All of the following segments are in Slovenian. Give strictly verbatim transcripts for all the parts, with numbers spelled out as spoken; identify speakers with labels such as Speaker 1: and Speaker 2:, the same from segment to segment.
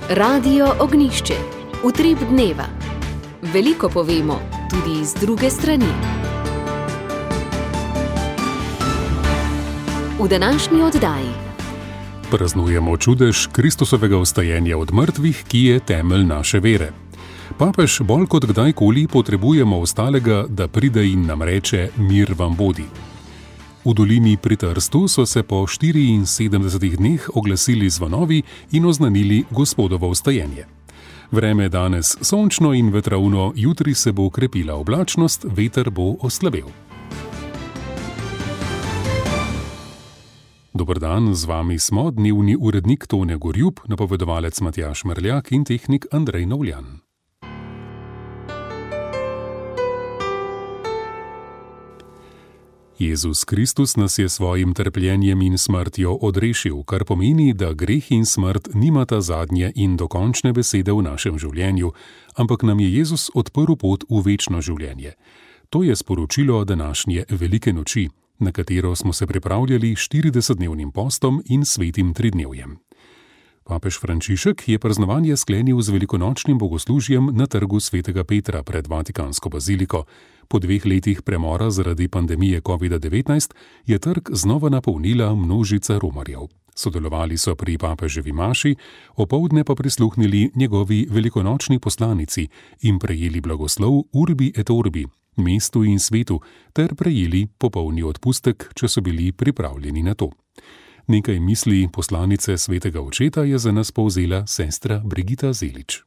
Speaker 1: Radio Ognjišče. Utrip dneva. Veliko povemo, tudi iz druge strani. V današnji oddaji
Speaker 2: praznujemo čudež Kristusovega vstajenja od mrtvih, ki je temelj naše vere. Papež bolj kot kdajkoli potrebujemo ostalega, da pride in nam reče: mir vam bodi. V dolini pri Trstu so se po štiriinsedemdesetih dneh oglasili zvonovi in oznanili Gospodovo vstajenje. Vreme je danes sončno in vetrovno, jutri se bo krepila oblačnost, veter bo oslabel. Dober dan, z vami smo dnevni urednik Tone Gorjup, napovedovalec Matjaž Merljak in tehnik Andrej Novljan. Jezus Kristus nas je svojim trpljenjem in smrtjo odrešil, kar pomeni, da greh in smrt nimata zadnje in dokončne besede v našem življenju, ampak nam je Jezus odprl pot v večno življenje. To je sporočilo današnje velike noči, na katero smo se pripravljali štiridesetdnevnim postom in svetim tridnevjem. Papež Frančišek je praznovanje sklenil z velikonočnim bogoslužjem na trgu svetega Petra pred Vatikansko baziliko. Po dveh letih premora zaradi pandemije kovida devetnajst je trg znova napolnila množica romarjev. Sodelovali so pri papeževi maši, opoldne pa prisluhnili njegovi velikonočni poslanici in prejeli blagoslov Urbi et Orbi, mestu in svetu, ter prejeli popolni odpustek, če so bili pripravljeni na to. Nekaj misli poslanice svetega očeta je za nas povzela sestra Brigita Zelič.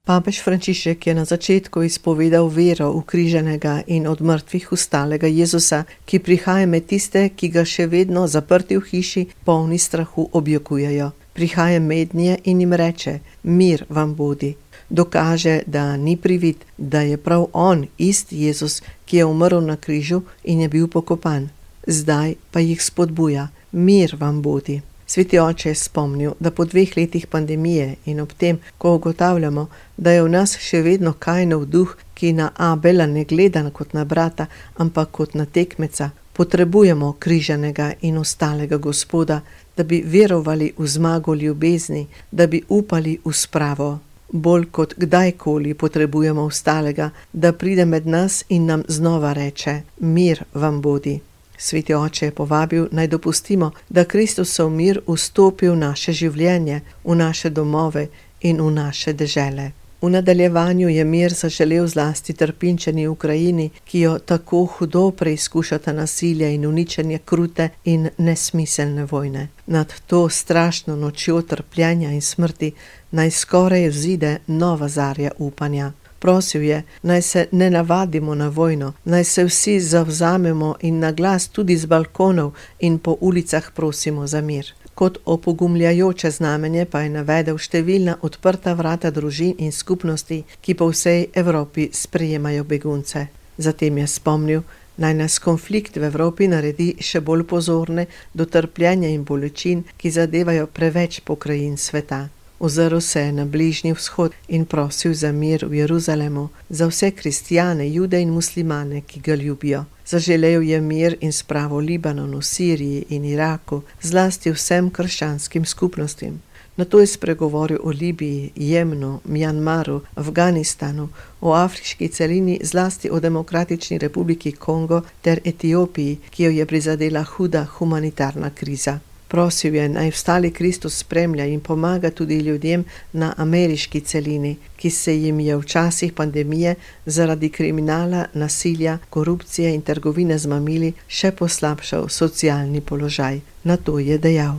Speaker 3: Papež Frančišek je na začetku izpovedal vero v križanega in od mrtvih vstalega Jezusa, ki prihaja med tiste, ki ga še vedno zaprti v hiši, polni strahu objokujejo. Prihaja mednje in jim reče: mir vam bodi. Dokaže, da ni privid, da je prav on, isti Jezus, ki je umrl na križu in je bil pokopan. Zdaj pa jih spodbuja: mir vam bodi. Sveti oče je spomnil, da po dveh letih pandemije in ob tem, ko ugotavljamo, da je v nas še vedno Kainov duh, ki na Abela ne gleda kot na brata, ampak kot na tekmeca, potrebujemo križanega in ostalega Gospoda, da bi verovali v zmago ljubezni, da bi upali v spravo. Bolj kot kdajkoli potrebujemo ostalega, da pride med nas in nam znova reče: mir vam bodi. Sveti oče je povabil, naj dopustimo, da Kristusov mir vstopi v naše življenje, v naše domove in v naše dežele. V nadaljevanju je mir zaželel zlasti trpinčeni Ukrajini, ki jo tako hudo preizkušata nasilje in uničenje krute in nesmiselne vojne. Nad to strašno nočjo trpljenja in smrti naj skoraj vzide nova zarja upanja. Prosil je, naj se ne navadimo na vojno, naj se vsi zavzamemo in na glas tudi z balkonov in po ulicah prosimo za mir. Kot opogumljajoče znamenje pa je navedel številna odprta vrata družin in skupnosti, ki po vsej Evropi sprejemajo begunce. Zatem je spomnil, naj nas konflikt v Evropi naredi še bolj pozorne do trpljenja in bolečin, ki zadevajo preveč pokrajin sveta. Ozrl se je na Bližnji vzhod in prosil za mir v Jeruzalemu, za vse kristjane, jude in muslimane, ki ga ljubijo. Zaželel je mir in spravo Libanonu, Siriji in Iraku, zlasti vsem krščanskim skupnostim. Nato je spregovoril o Libiji, Jemnu, Mjanmaru, Afganistanu, o afriški celini, zlasti o Demokratični republiki Kongo ter Etiopiji, ki jo je prizadela huda humanitarna kriza. Prosil je, naj vstali Kristus spremlja in pomaga tudi ljudem na ameriški celini, ki se jim je v časih pandemije zaradi kriminala, nasilja, korupcije in trgovine z mamili še poslabšal socialni položaj. Na to je dejal: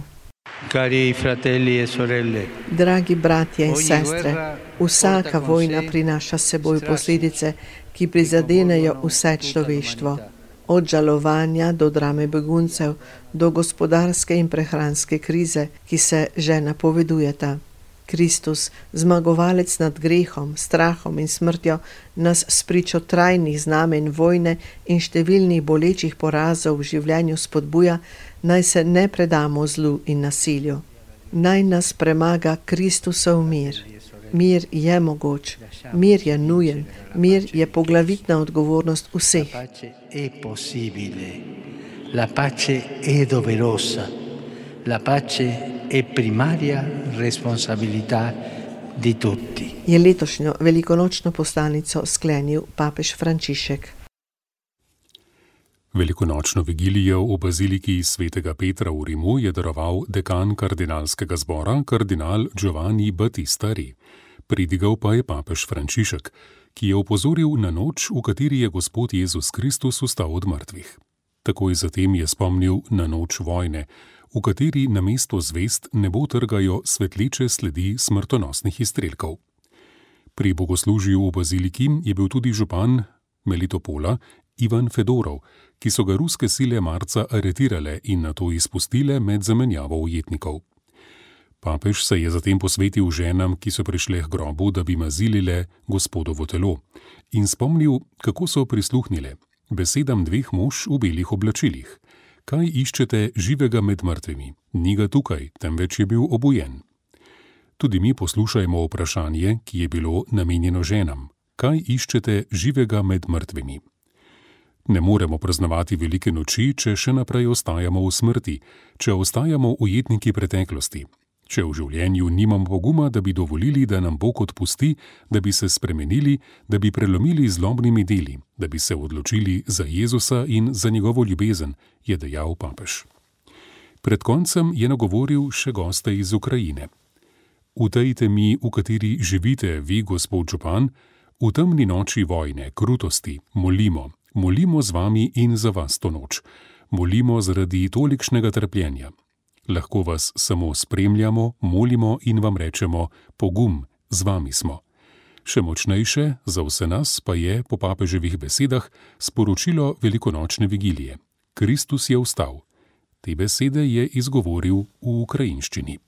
Speaker 4: Cari fratelli e sorelle,
Speaker 3: dragi bratje in sestre, vsaka vojna prinaša s seboj posledice, ki prizadenejo vse človeštvo. Od žalovanja do drame beguncev, do gospodarske in prehranske krize, ki se že napovedujeta. Kristus, zmagovalec nad grehom, strahom in smrtjo, nas spričo trajnih znamen vojne in številnih bolečih porazov v življenju spodbuja, naj se ne predamo zlu in nasilju. Naj nas premaga Kristusov mir. Mir je mogoč, mir je nujen, mir je poglavitna odgovornost vseh.
Speaker 4: La pace è doverosa, la pace è primaria responsabilità di tutti.
Speaker 3: Je letošnjo velikonočno poslanico sklenil papež Frančišek.
Speaker 2: Velikonočno vigilijo v baziliki svetega Petra v Rimu je daroval dekan kardinalskega zbora, kardinal Giovanni Battista Re. Pridigal pa je papež Frančišek, ki je opozoril na noč, v kateri je Gospod Jezus Kristus vstal od mrtvih. Takoj zatem je spomnil na noč vojne, v kateri namesto zvest nebo trgajo svetleče sledi smrtonosnih izstrelkov. Pri bogoslužju v baziliki je bil tudi župan Melitopola Ivan Fedorov, ki so ga ruske sile marca aretirale in nato izpustile med zamenjavo ujetnikov. Papež se je zatem posvetil ženam, ki so prišle k grobu, da bi mazilile Gospodovo telo, in spomnil, kako so prisluhnile besedam dveh mož v belih oblačilih. Kaj iščete živega med mrtvimi? Ni ga tukaj, temveč je bil obujen. Tudi mi poslušajmo vprašanje, ki je bilo namenjeno ženam. Kaj iščete živega med mrtvimi? Ne moremo praznovati velike noči, če še naprej ostajamo v smrti, če ostajamo ujetniki preteklosti, če v življenju nimamo poguma, da bi dovolili, da nam Bog odpusti, da bi se spremenili, da bi prelomili zlobnimi deli, da bi se odločili za Jezusa in za njegovo ljubezen, je dejal papež. Pred koncem je nagovoril še goste iz Ukrajine. V tej temi, v kateri živite vi, gospod župan, v temni noči vojne, krutosti, molimo, molimo z vami in za vas to noč. Molimo zaradi tolikšnega trpljenja. Lahko vas samo spremljamo, molimo in vam rečemo, pogum, z vami smo. Še močnejše za vse nas pa je, po papeževih besedah, sporočilo velikonočne vigilije. Kristus je vstal. Te besede je izgovoril v ukrajinščini.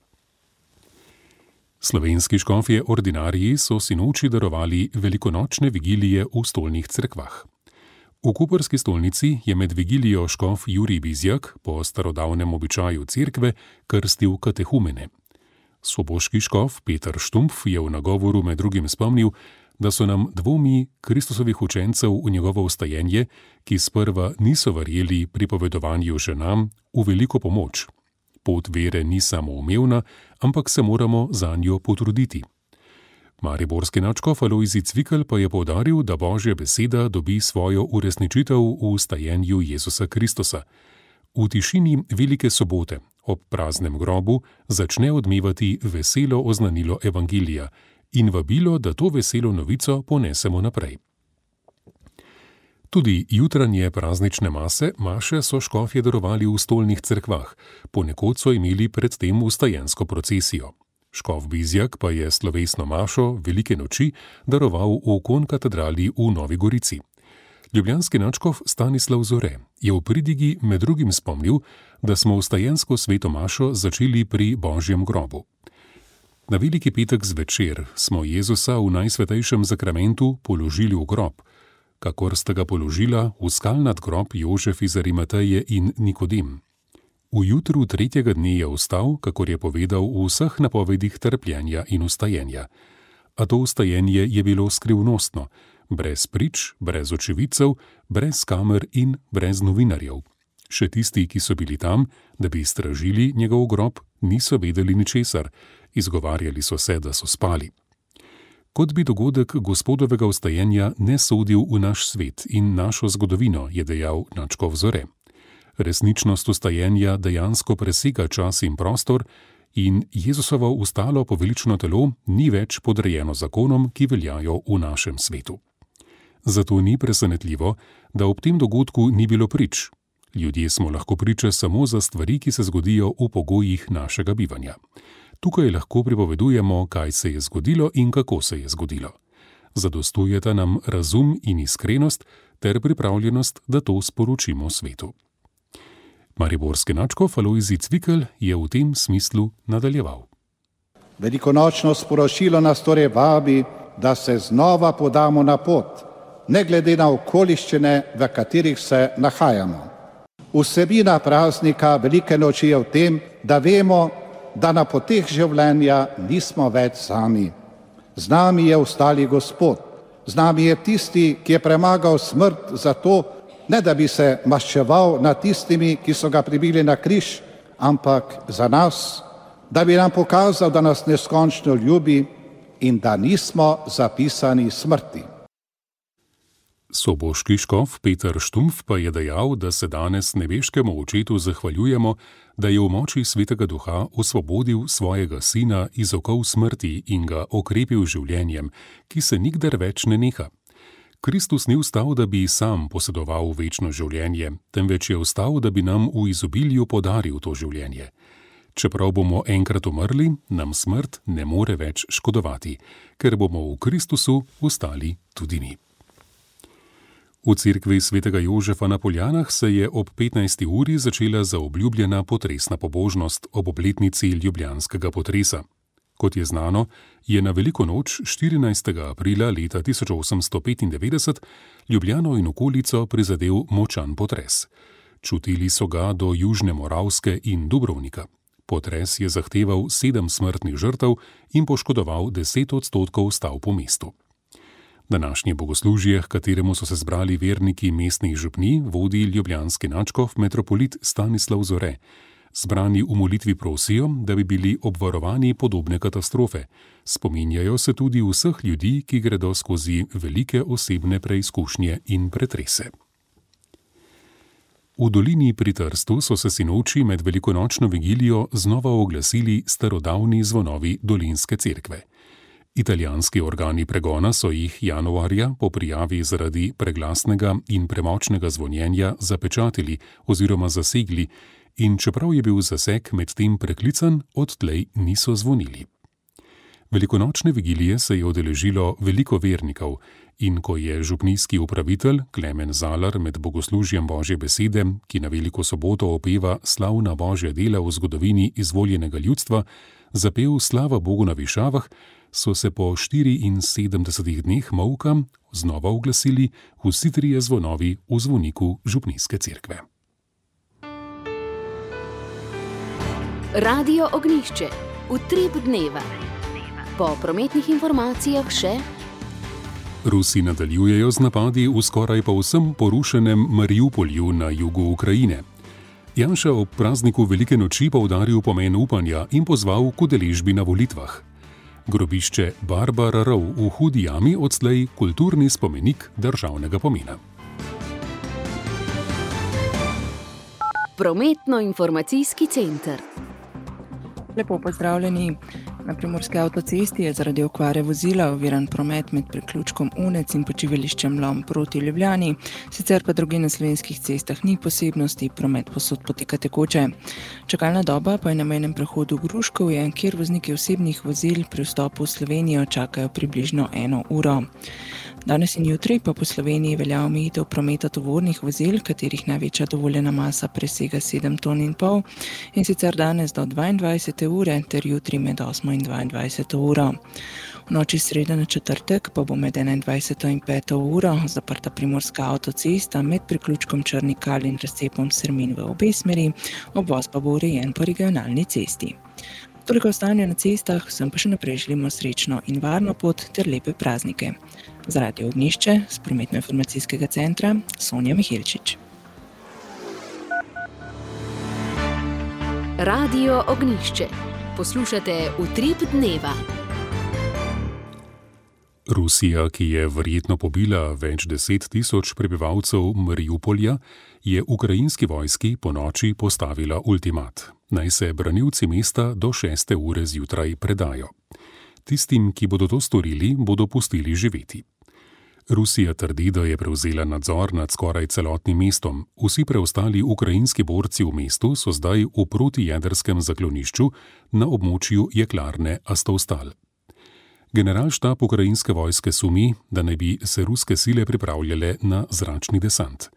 Speaker 2: Slovenski škofje ordinariji so sinoči darovali velikonočne vigilije v stolnih cerkvah. V koprski stolnici je med vigilijo škof Jurij Bizjak po starodavnem običaju cerkve krstil katehumene. Soboški škof Peter Štumpf je v nagovoru med drugim spomnil, da so nam dvomi Kristusovih učencev v njegovo vstajenje, ki sprva niso verjeli pripovedovanju ženam, v veliko pomoč. Pot vere ni samoumevna, ampak se moramo zanjo potruditi. Mariborski nadškof Alojzij Cvikl pa je poudaril, da Božja beseda dobi svojo uresničitev v vstajenju Jezusa Kristusa. V tišini Velike sobote, ob praznem grobu, začne odmevati veselo oznanilo evangelija in vabilo, da to veselo novico ponesemo naprej. Tudi jutranje praznične mase, maše so škofje darovali v stolnih cerkvah, ponekod so imeli predtem vstajensko procesijo. Škof Bizjak pa je slovesno mašo velike noči daroval v konkatedrali v Novi Gorici. Ljubljanski nadškof Stanislav Zore je v pridigi med drugim spomnil, da smo vstajensko sveto mašo začeli pri Božjem grobu. Na veliki petek zvečer smo Jezusa v najsvetejšem zakramentu položili v grob, kakor sta ga položila v skalnat grob Jožef iz Arimateje in Nikodem. V jutru tretjega dne je vstal, kakor je povedal v vseh napovedih trpljenja in vstajenja. A to vstajenje je bilo skrivnostno, brez prič, brez očividcev, brez kamer in brez novinarjev. Še tisti, ki so bili tam, da bi stražili njegov grob, niso vedeli ničesar, izgovarjali so se, da so spali. Kot bi dogodek Gospodovega vstajenja ne sodil v naš svet in našo zgodovino, je dejal nadškof Zore. Resničnost vstajenja dejansko presega čas in prostor in Jezusovo vstalo povelično telo ni več podrejeno zakonom, ki veljajo v našem svetu. Zato ni presenetljivo, da ob tem dogodku ni bilo prič. Ljudje smo lahko priče samo za stvari, ki se zgodijo v pogojih našega bivanja. Tukaj lahko pripovedujemo, kaj se je zgodilo in kako se je zgodilo. Zadostujeta nam razum in iskrenost ter pripravljenost, da to sporočimo svetu. Mariborski nadškof Alojzij Cvikl je v tem smislu nadaljeval.
Speaker 5: Velikonočno sporočilo nas torej vabi, da se znova podamo na pot, ne glede na okoliščine, v katerih se nahajamo. Vsebina praznika Velike noči je v tem, da vemo, da na poteh življenja nismo več sami. Z nami je vstali Gospod, z nami je tisti, ki je premagal smrt za to, ne da bi se maščeval nad tistimi, ki so ga pribili na križ, ampak za nas, da bi nam pokazal, da nas neskončno ljubi in da nismo zapisani smrti.
Speaker 2: Soboški škof Peter Štumpf pa je dejal, da se danes nebeškemu očetu zahvaljujemo, da je v moči Svetega Duha osvobodil svojega sina iz okov smrti in ga okrepil življenjem, ki se nikdar več ne neha. Kristus ni vstal, da bi sam posedoval večno življenje, temveč je vstal, da bi nam v izobilju podaril to življenje. Čeprav bomo enkrat umrli, nam smrt ne more več škodovati, ker bomo v Kristusu vstali tudi mi. V cerkvi svetega Jožefa na Poljanah se je ob petnajsti uri začela zaobljubljena potresna pobožnost ob obletnici ljubljanskega potresa. Kot je znano, je na veliko noč štirinajstega aprila leta tisoč osemsto petindevetdeset Ljubljano in okolico prizadel močan potres. Čutili so ga do Južne Moravske in Dubrovnika. Potres je zahteval sedem smrtnih žrtev in poškodoval deset odstotkov stavb po mestu. Današnje bogoslužje, h kateremu so se zbrali verniki mestnih župnij, vodi ljubljanski nadškof metropolit Stanislav Zore. Zbrani v molitvi prosijo, da bi bili obvarovani podobne katastrofe. Spominjajo se tudi vseh ljudi, ki gredo skozi velike osebne preizkušnje in pretrese. V dolini pri Trstu so se sinoči med velikonočno vigilijo znova oglasili starodavni zvonovi dolinske cerkve. Italijanski organi pregona so jih januarja po prijavi zaradi preglasnega in premočnega zvonjenja zapečatili oziroma zasegli in čeprav je bil zaseg med tem preklican, odtlej niso zvonili. Velikonočne vigilije se je udeležilo veliko vernikov in ko je župnijski upravitelj Klemen Zalar med bogoslužjem Božje besede, ki na Veliko soboto opeva slavna Božja dela v zgodovini izvoljenega ljudstva, zapel Slava Bogu na višavah, so se po štiriinsedemdesetih dneh molka znova oglasili vsi trije zvonovi v zvoniku župnijske cerkve.
Speaker 1: Radio Ognjišče, utrip dneva. Po prometnih informacijah še:
Speaker 2: Rusi nadaljujejo z napadi v skoraj povsem porušenem Mariupolju na jugu Ukrajine. Janša ob prazniku Velike noči poudaril pomen upanja in pozval k udeležbi na volitvah. Grobišče Barbara Rov v Hudi jami odslej kulturni spomenik državnega pomena.
Speaker 1: Prometno-informacijski center.
Speaker 6: Lepo pozdravljeni. Na Primorski avtocesti je zaradi okvare vozila oviran promet med priključkom Unec in počivališčem Lom proti Ljubljani, sicer pa drugje na slovenskih cestah ni posebnosti, promet povsod poteka tekoče. Čakalna doba pa je na mejnem prehodu Gruškovje, kjer vozniki osebnih vozil pri vstopu v Slovenijo čakajo približno eno uro. Danes in jutri pa po Sloveniji velja omejitev prometa tovornih vozil, katerih največja dovoljena masa presega sedem ton in pol, in sicer danes do dvaindvajsete ure ter jutri med osmo in dvaindvajseto uro. V noči sreda na četrtek pa bo med enaindvajseto in peto uro zaprta Primorska avtocesta med priključkom Črni Kal in razcepom Srmin v obe smeri, obvoz pa bo urejen po regionalni cesti. Toliko o stanju na cestah, vsem pa še naprej želimo srečno in varno pot ter lepe praznike. Za Radio Ognjišče z prometno-informacijskega centra Sonja Miheličič.
Speaker 1: Radio Ognjišče. Poslušate Utrip dneva.
Speaker 2: Rusija, ki je verjetno pobila več deset tisoč prebivalcev Mariupolja, je ukrajinski vojski ponoči postavila ultimat. Naj se branilci mesta do šeste ure zjutraj predajo. Tistim, ki bodo to storili, bodo pustili živeti. Rusija trdi, da je prevzela nadzor nad skoraj celotnim mestom. Vsi preostali ukrajinski borci v mestu so zdaj v protijedrskem zaklonišču na območju jeklarne Azovstal. Generalštab ukrajinske vojske sumi, da naj bi se ruske sile pripravljale na zračni desant.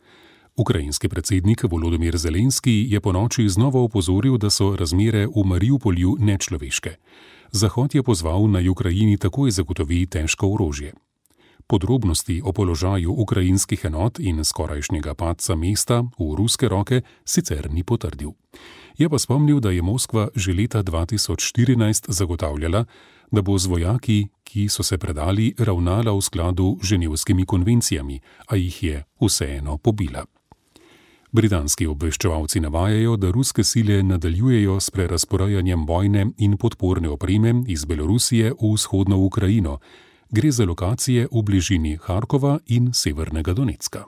Speaker 2: Ukrajinski predsednik Volodymyr Zelenski je ponoči znova opozoril, da so razmere v Mariupolju nečloveške. Zahod je pozval, naj Ukrajini takoj zagotovi težko orožje. Podrobnosti o položaju ukrajinskih enot in skorajšnjega padca mesta v ruske roke sicer ni potrdil. Je pa spomnil, da je Moskva že leta dva tisoč štirinajst zagotavljala, da bo z vojaki, ki so se predali, ravnala v skladu z ženevskimi konvencijami, a jih je vseeno pobila. Britanski obveščevalci navajajo, da ruske sile nadaljujejo s prerazporejanjem vojne in podporne opreme iz Belorusije v vzhodno Ukrajino. Gre za lokacije v bližini Harkova in severnega Donecka.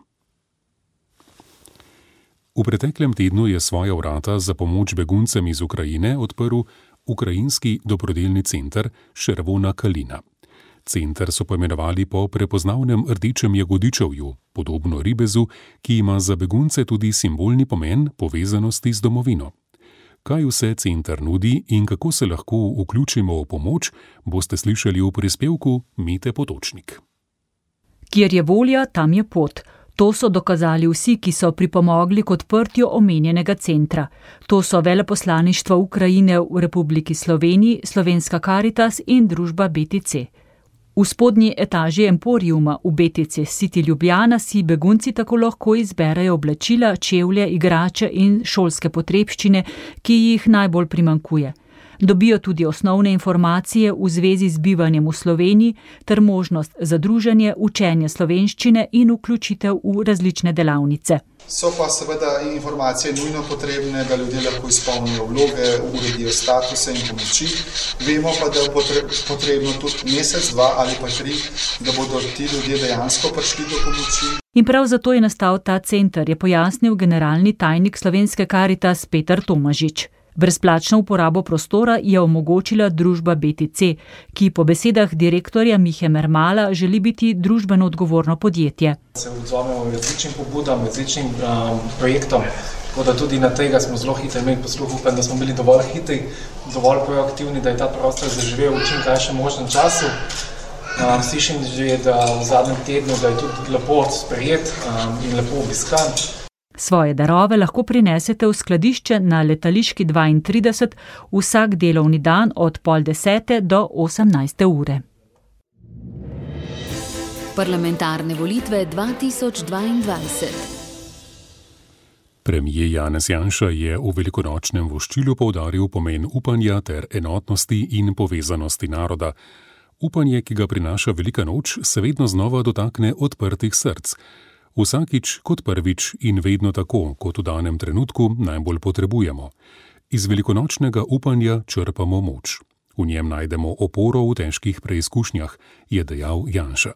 Speaker 2: V preteklem tednu je svoja vrata za pomoč beguncem iz Ukrajine odprl ukrajinski dobrodelni center Červona kalina. Center so poimenovali po prepoznavnem rdečem jagodičevju, podobno ribezu, ki ima za begunce tudi simbolni pomen povezanosti z domovino. Kaj vse center nudi in kako se lahko vključimo v pomoč, boste slišali v prispevku Mete Potočnik.
Speaker 7: Kjer je volja, tam je pot. To so dokazali vsi, ki so pripomogli k odprtju omenjenega centra. To so veleposlaništvo Ukrajine v Republiki Sloveniji, Slovenska Karitas in družba B T C. V spodnji etaži Emporiuma v B T C City Ljubljana si begunci tako lahko izberejo oblačila, čevlje, igrače in šolske potrebščine, ki jih najbolj primanjkuje. Dobijo tudi osnovne informacije v zvezi z bivanjem v Sloveniji ter možnost za druženje, učenje slovenščine in vključitev v različne delavnice.
Speaker 8: So pa seveda informacije nujno potrebne, da ljudje lahko izpolnijo vloge, uredijo statuse in pomoči. Vemo pa, da je potrebno tudi mesec, dva ali pa tri, da bodo ti ljudje dejansko prišli do pomoči.
Speaker 7: In prav zato je nastal ta center, je pojasnil generalni tajnik Slovenske Karitas Peter Tomažič. Brezplačno uporabo prostora je omogočila družba B T C, ki po besedah direktorja Mihe Mermala želi biti družbeno odgovorno podjetje.
Speaker 9: Se odzovemo različnim pobudam, različnim um, projektom, tako da tudi na tega smo zelo hitro imeli posluh, upam, da smo bili dovolj hitri, dovolj proaktivni, da je ta prostor zaživel v čim krajšem možnem času. Um, slišim že, da v zadnjem tednu, da je tudi lepo sprejet um, in lepo obiskan.
Speaker 7: Svoje darove lahko prinesete v skladišče na Letališki dvaintrideset vsak delovni dan od pol desete do osemnajste ure.
Speaker 1: Parlamentarne volitve dva tisoč dvaindvajset.
Speaker 2: Premier Janez Janša je v velikonočnem voščilu poudaril pomen upanja ter enotnosti in povezanosti naroda. Upanje, ki ga prinaša velika noč, se vedno znova dotakne odprtih src. Vsakič kot prvič in vedno tako, kot v danem trenutku najbolj potrebujemo. Iz velikonočnega upanja črpamo moč. V njem najdemo oporo v težkih preizkušnjah, je dejal Janša.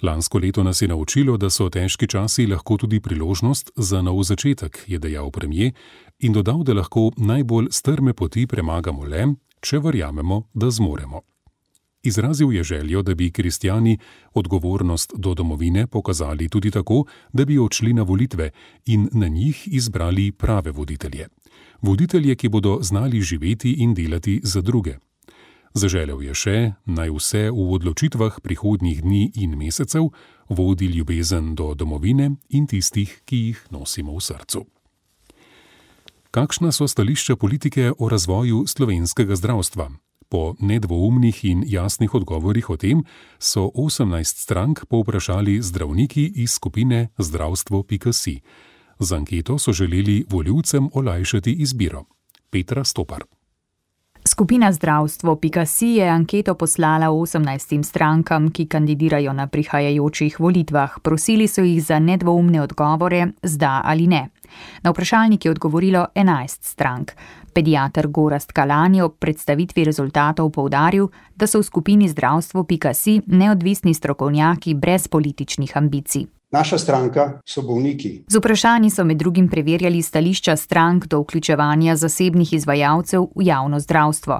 Speaker 2: Lansko leto nas je naučilo, da so težki časi lahko tudi priložnost za nov začetek, je dejal premier in dodal, da lahko najbolj strme poti premagamo le, če verjamemo, da zmoremo. Izrazil je željo, da bi kristjani odgovornost do domovine pokazali tudi tako, da bi odšli na volitve in na njih izbrali prave voditelje. Voditelje, ki bodo znali živeti in delati za druge. Zaželel je še, naj vse v odločitvah prihodnjih dni in mesecev vodi ljubezen do domovine in tistih, ki jih nosimo v srcu. Kakšna so stališča politike o razvoju slovenskega zdravstva? Po nedvoumnih in jasnih odgovorih o tem so osemnajst strank povprašali zdravniki iz skupine zdravstvo pika si. Z anketo so želeli volivcem olajšati izbiro. Petra Stopar.
Speaker 10: Skupina zdravstvo pika si je anketo poslala osemnajstim strankam, ki kandidirajo na prihajajočih volitvah. Prosili so jih za nedvoumne odgovore z da ali ne. Na vprašalnik je odgovorilo enajst strank. Pediater Gorazd Kalan je ob predstavitvi rezultatov poudaril, da so v skupini zdravstvo pika si neodvisni strokovnjaki brez političnih ambicij.
Speaker 11: Naša stranka so bolniki.
Speaker 10: Z vprašanji so med drugim preverjali stališča strank do vključevanja zasebnih izvajalcev v javno zdravstvo.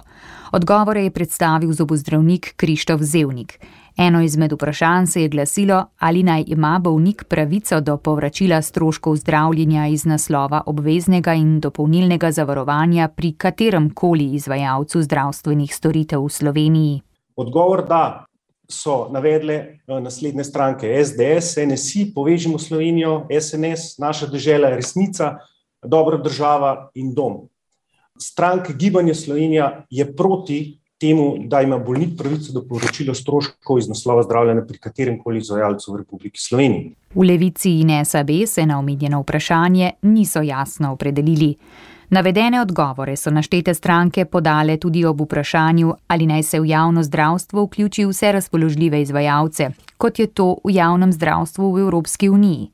Speaker 10: Odgovore je predstavil zobozdravnik Krištof Zevnik. Eno izmed vprašanj se je glasilo, ali naj ima bolnik pravico do povračila stroškov zdravljenja iz naslova obveznega in dopolnilnega zavarovanja pri katerem koli izvajalcu zdravstvenih storitev v Sloveniji.
Speaker 11: Odgovor da. So navedle naslednje stranke es de es, en es i, Povežimo Slovenijo, es en es, Naša dežela, Resnica, Dobra država in Dom. Stranka Gibanje Slovenija je proti temu, da ima bolnik pravico do povračila stroškov iz naslova zdravljenja pri katerem koli izvajalcu v Republiki Sloveniji.
Speaker 10: V Levici in es a be se na omenjeno vprašanje niso jasno opredelili. Navedene odgovore so naštete stranke podale tudi ob vprašanju, ali naj se v javno zdravstvo vključi vse razpoložljive izvajalce, kot je to v javnem zdravstvu v Evropski uniji.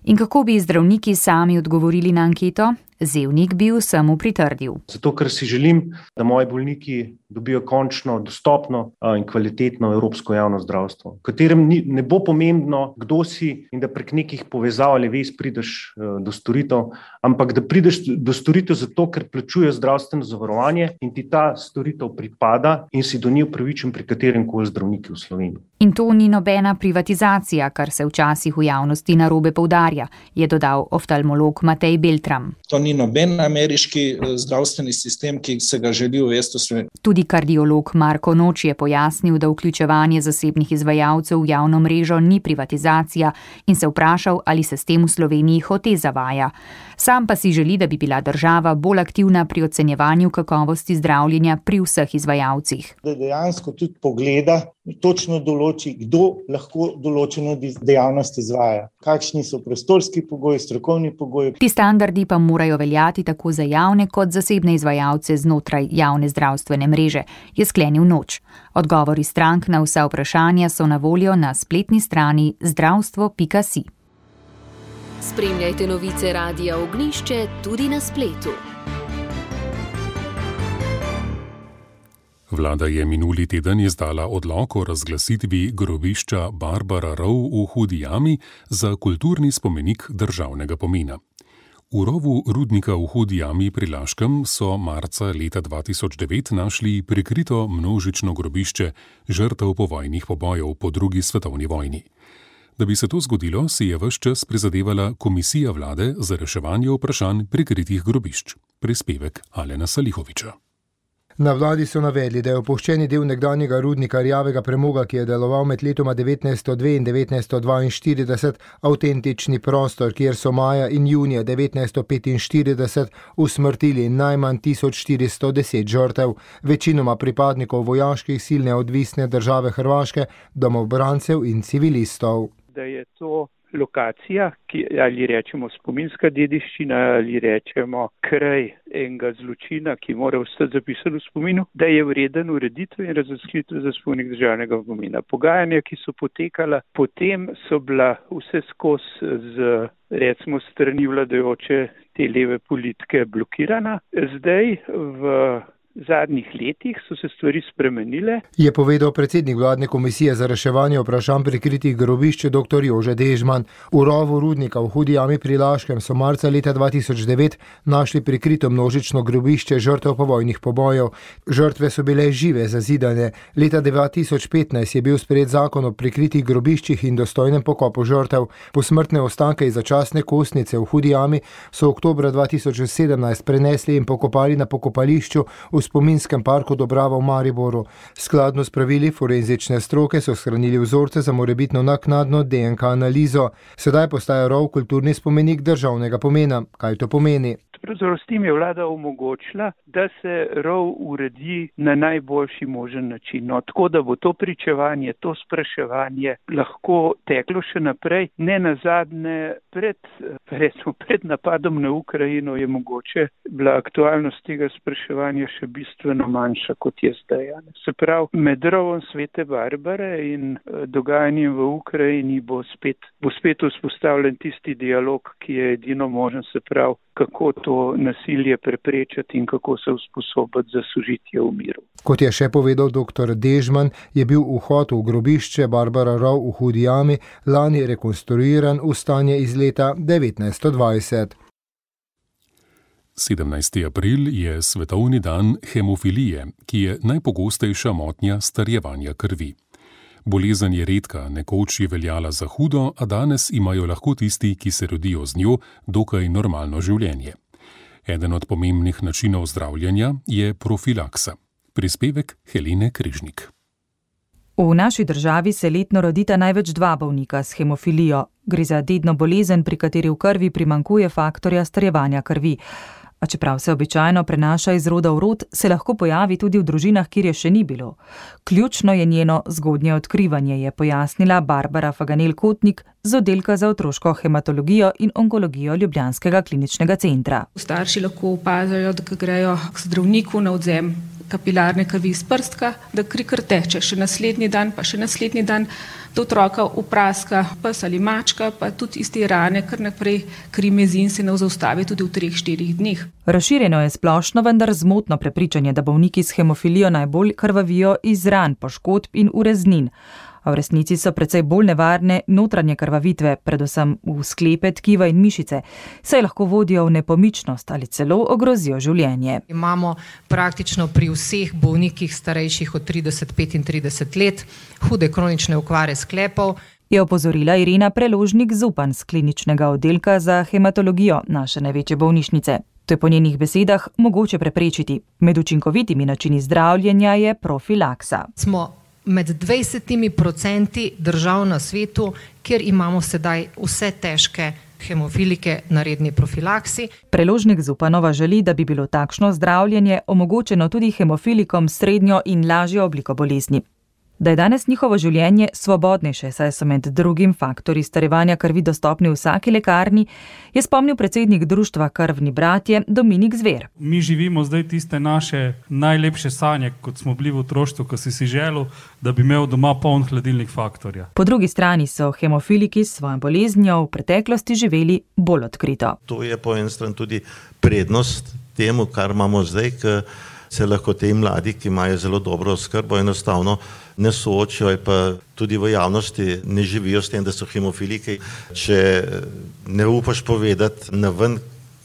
Speaker 10: In kako bi zdravniki sami odgovorili na anketo? Zevnik bi vsemu pritrdil.
Speaker 11: Zato, ker si želim, da moji bolniki dobijo končno dostopno in kvalitetno evropsko javno zdravstvo, v katerem ni, ne bo pomembno, kdo si in da prek nekih povezav ali vez prideš do storitev, ampak da prideš do storitev zato, ker plačuješ zdravstveno zavarovanje in ti ta storitev pripada in si do nje upravičen pri katerem koli zdravniku v Sloveniji.
Speaker 10: In to ni nobena privatizacija, kar se včasih v javnosti narobe poudarja, je dodal oftalmolog Matej Beltram.
Speaker 12: To ni noben ameriški zdravstveni sistem, ki se ga želi uvesti v Sloveniji.
Speaker 10: Tudi kardiolog Marko Noč je pojasnil, da vključevanje zasebnih izvajalcev v javno mrežo ni privatizacija in se vprašal, ali se s tem v Sloveniji hote zavaja. Sam pa si želi, da bi bila država bolj aktivna pri ocenjevanju kakovosti zdravljenja pri vseh izvajalcih.
Speaker 13: Da dejansko tudi pogleda, točno določi, kdo lahko določeno dejavnost izvaja, kakšni so prostorski pogoji, strokovni pogoji.
Speaker 10: Ti standardi pa morajo veljati tako za javne kot zasebne izvajalce znotraj javne zdravstvene mreže, je sklenil Noč. Odgovori strank na vsa vprašanja so na voljo na spletni strani zdravstvo pika si.
Speaker 1: Spremljajte novice Radia Ognjišče tudi na spletu.
Speaker 2: Vlada je minuli teden izdala odlok o razglasitvi grobišča Barbara Rov v Hudi jami za kulturni spomenik državnega pomena. V rovu rudnika v Hudi jami pri Laškem so marca leta dva tisoč devet našli prikrito množično grobišče žrtev povojnih pobojev po drugi svetovni vojni. Da bi se to zgodilo, si je ves čas prizadevala Komisija vlade za reševanje vprašanj prikritih grobišč. Prispevek Alena Salihoviča.
Speaker 14: Na vladi so navedli, da je opuščeni del nekdanjega rudnika rjavega premoga, ki je deloval med letoma devetnajststo dve in devetnajststo dvainštirideset, avtentični prostor, kjer so maja in junija devetnajststo petinštirideset usmrtili najmanj tisoč štiristo deset žrtev, večinoma pripadnikov vojaških sil neodvisne države Hrvaške, domobrancev in civilistov.
Speaker 15: Da je to lokacija, ki, ali rečemo spominska dediščina, ali rečemo kraj enega zločina, ki mora ostati zapisan v spominu, da je vreden ureditve in razglasitve za spomenik državnega pomena. Pogajanja, ki so potekala, potem so bila vse skozi z, recimo, strani vladajoče te leve politike blokirana. Zdaj v V zadnjih letih so se stvari spremenile.
Speaker 14: Je povedal predsednik vladne komisije za reševanje vprašanj prikritih grobišč dr. Jože Dežman. V rovu rudnika v Hudi jami pri Laškem so marca leta dva tisoč devet našli prikrito množično grobišče žrtev povojnih pobojev. Žrtve so bile žive, zazidane. Leta dva tisoč petnajst je bil sprejet zakon o prikritih grobiščih in dostojnem pokopu žrtev. Posmrtne ostanke iz začasne kostnice v Hudi jami so oktobra dva tisoč sedemnajst prenesli in pokopali na pokopališču v spominskem parku Dobrava v Mariboru. Skladno s pravili forenzične stroke so shranili vzorce za morebitno naknadno D N K analizo. Sedaj postaja rov kulturni spomenik državnega pomena. Kaj to pomeni?
Speaker 15: Pravzaprav s tem je vlada omogočila, da se rov uredi na najboljši možen način. No, tako da bo to pričevanje, to spraševanje lahko teklo še naprej. Ne nazadnje, pred, recimo, pred napadom na Ukrajino je mogoče bila aktualnost tega spraševanja še bistveno manjša, kot je zdaj. Se pravi, med rovom Svete Barbare in dogajanjem v Ukrajini bo spet, bo spet vzpostavljen tisti dialog, ki je edino možen, se pravi, kako to nasilje preprečati in kako se usposobiti za sožitje v miru.
Speaker 14: Kot je še povedal dr. Dežman, je bil vhod v grobišče Barbara Rov v Hudi jami lani rekonstruiran v stanje iz leta devetnajststo dvajset.
Speaker 2: sedemnajsti april je svetovni dan hemofilije, ki je najpogostejša motnja starjevanja krvi. Bolezen je redka, nekoč je veljala za hudo, a danes imajo lahko tisti, ki se rodijo z njo, dokaj normalno življenje. Eden od pomembnih načinov zdravljenja je profilaksa. Prispevek Helene Križnik.
Speaker 7: V naši državi se letno rodita največ dva bolnika s hemofilijo. Gre za dedno bolezen, pri kateri v krvi primanjkuje faktorja starjevanja krvi. A čeprav se običajno prenaša iz roda v rod, se lahko pojavi tudi v družinah, kjer je še ni bilo. Ključno je njeno zgodnje odkrivanje, je pojasnila Barbara Faganel-Kotnik z oddelka za otroško hematologijo in onkologijo Ljubljanskega kliničnega centra.
Speaker 16: Starši lahko opazijo, da grejo k zdravniku na odvzem kapilarne krvi iz prstka, da kri kar teče, še naslednji dan, pa še naslednji dan, da otroka upraska pes ali mačka, pa tudi iz te rane kar naprej kri mezi in se ne zaustavi tudi v treh, štirih dneh.
Speaker 17: Razširjeno je splošno, vendar zmotno prepričanje, da bolniki s hemofilijo najbolj krvavijo iz ran, poškodb in ureznin. A v resnici so precej bolj nevarne notranje krvavitve, predvsem v sklepe, tkiva in mišice, saj lahko vodijo v nepomičnost ali celo ogrozijo življenje.
Speaker 18: Imamo praktično pri vseh bolnikih starejših od trideset do petintrideset let hude kronične okvare sklepov.
Speaker 17: Je opozorila Irena Preložnik-Zupan z kliničnega oddelka za hematologijo naše največje bolnišnice. To je po njenih besedah mogoče preprečiti. Med učinkovitimi načini zdravljenja je profilaksa.
Speaker 18: Smo med dvajsetimi procenti držav na svetu, kjer imamo sedaj vse težke hemofilike na redni profilaksi.
Speaker 17: Preložnik-Zupanova želi, da bi bilo takšno zdravljenje omogočeno tudi hemofilikom s srednjo in lažjo obliko bolezni. Da je danes njihovo življenje svobodnejše, saj so med drugim faktorji starevanja krvi dostopni v vsaki lekarni, je spomnil predsednik društva Krvni bratje Dominik Zver.
Speaker 19: Mi živimo zdaj tiste naše najlepše sanje, kot smo bili v otroštvu, ko si si želel, da bi imel doma poln hladilnik Faktorja.
Speaker 17: Po drugi strani so hemofiliki s svojo boleznijo v preteklosti živeli bolj odkrito.
Speaker 20: To je po eni strani tudi prednost temu, kar imamo zdaj, ker se lahko te mladi, ki imajo zelo dobro oskrbo, enostavno ne soočijo, pa tudi v javnosti ne živijo s tem, da so hemofiliki. Če ne upaš povedati na ven,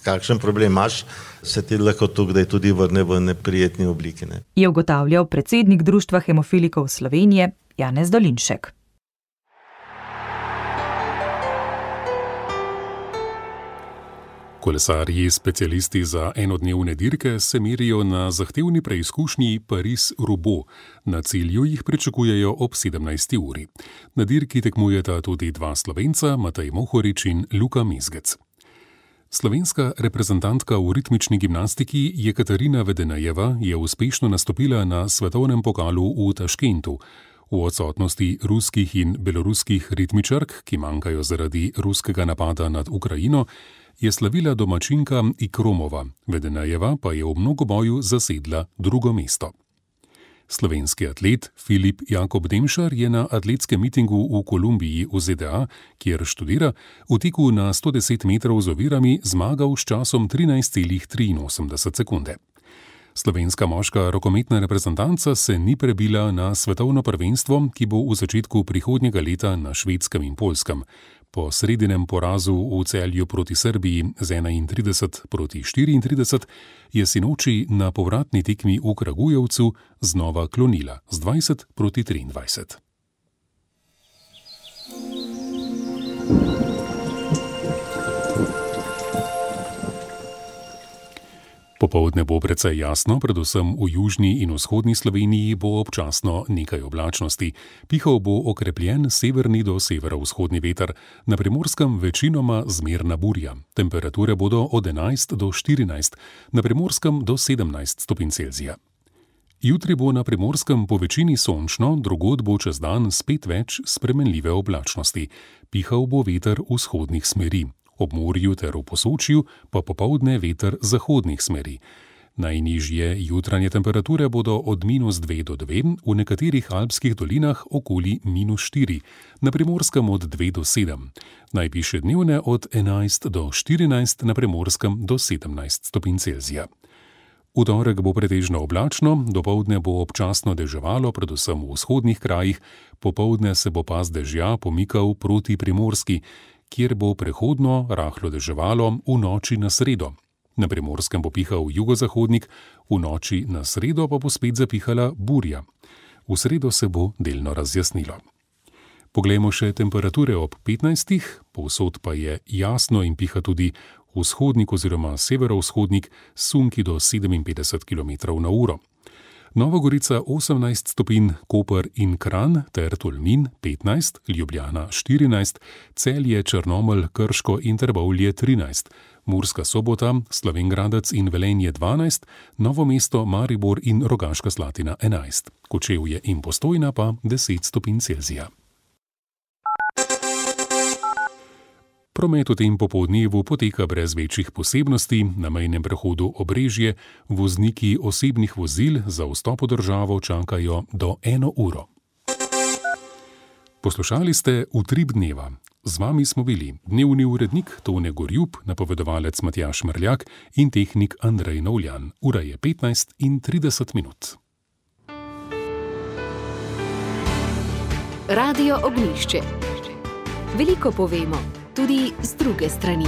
Speaker 20: kakšen problem imaš, se ti lahko tukaj tudi vrne v neprijetni obliki. Ne?
Speaker 17: Je ugotavljal predsednik Društva hemofilikov Slovenije Janez Dolinšek.
Speaker 2: Kolesarji, specialisti za enodnevne dirke, se merijo na zahtevni preizkušnji Pariz-Roubaix. Na cilju jih pričakujejo ob sedemnajsti uri. Na dirki tekmujeta tudi dva Slovenca, Matej Mohorič in Luka Mezgec. Slovenska reprezentantka v ritmični gimnastiki Jekaterina Vedenajeva je uspešno nastopila na svetovnem pokalu v Taškentu. V odsotnosti ruskih in beloruskih ritmičark, ki manjkajo zaradi ruskega napada nad Ukrajino, je slavila domačinka Ikromova, Vedenajeva pa je v mnogoboju zasedla drugo mesto. Slovenski atlet Filip Jakob Demšar je na atletskem mitingu v Kolumbiji v Z D A, kjer študira, v teku na sto deset metrov z ovirami zmagal s časom trinajst celih triinosemdeset sekunde. Slovenska moška rokometna reprezentanca se ni prebila na svetovno prvenstvo, ki bo v začetku prihodnjega leta na Švedskem in Poljskem. Po sredinem porazu v Celju proti Srbiji z enaintrideset proti štiriintrideset je sinoči na povratni tekmi v Kragujevcu znova klonila z dvajset proti triindvajset. Popoldne bo precej jasno, predvsem v južni in vzhodni Sloveniji bo občasno nekaj oblačnosti. Pihal bo okrepljen severni do severovzhodni veter, na Primorskem večinoma zmerna burja. Temperature bodo od enajst do štirinajst, na Primorskem do sedemnajst stopinj Celzija. Jutri bo na Primorskem po večini sončno, drugod bo čez dan spet več spremenljive oblačnosti. Pihal bo veter vzhodnih smeri. Ob morju ter v Posočju pa popoldne veter zahodnih smeri. Najnižje jutranje temperature bodo od minus dve do dve, v nekaterih alpskih dolinah okoli minus štiri, na Primorskem od dve do sedem. Najvišje dnevne od enajst do štirinajst, na Primorskem do sedemnajst stopinj Celzija. V torek bo pretežno oblačno, dopoldne bo občasno deževalo, predvsem v vzhodnih krajih, popoldne se bo pas dežja pomikal proti Primorski, kjer bo prehodno rahlo deževalo v noči na sredo. Na Primorskem bo pihal jugozahodnik, v noči na sredo pa bo spet zapihala burja. V sredo se bo delno razjasnilo. Poglejmo še temperature ob petnajstih, povsod pa je jasno in piha tudi vzhodnik oziroma severovzhodnik s sunki do sedeminpetdeset kilometrov na uro. Nova Gorica osemnajst stopinj, Koper in Kranj ter Tolmin petnajst, Ljubljana štirinajst, Celje, Črnomelj, Krško in Trbovlje trinajst, Murska Sobota, Slovenj Gradec in Velenje dvanajst, Novo mesto, Maribor in Rogaška Slatina enajst, Kočevje in Postojna pa deset stopinj Celzija. Promet v tem popoldnevu poteka brez večjih posebnosti, na mejnem prehodu Obrežje vozniki osebnih vozil za vstop v državo čakajo do eno uro. Poslušali ste Utrip dneva. Z vami smo bili dnevni urednik Tone Gorjup, napovedovalec Matjaž Mrljak in tehnik Andrej Novljan. Ura je petnajst in trideset minut.
Speaker 1: Radio Ognjišče. Veliko povemo, tudi z druge strani.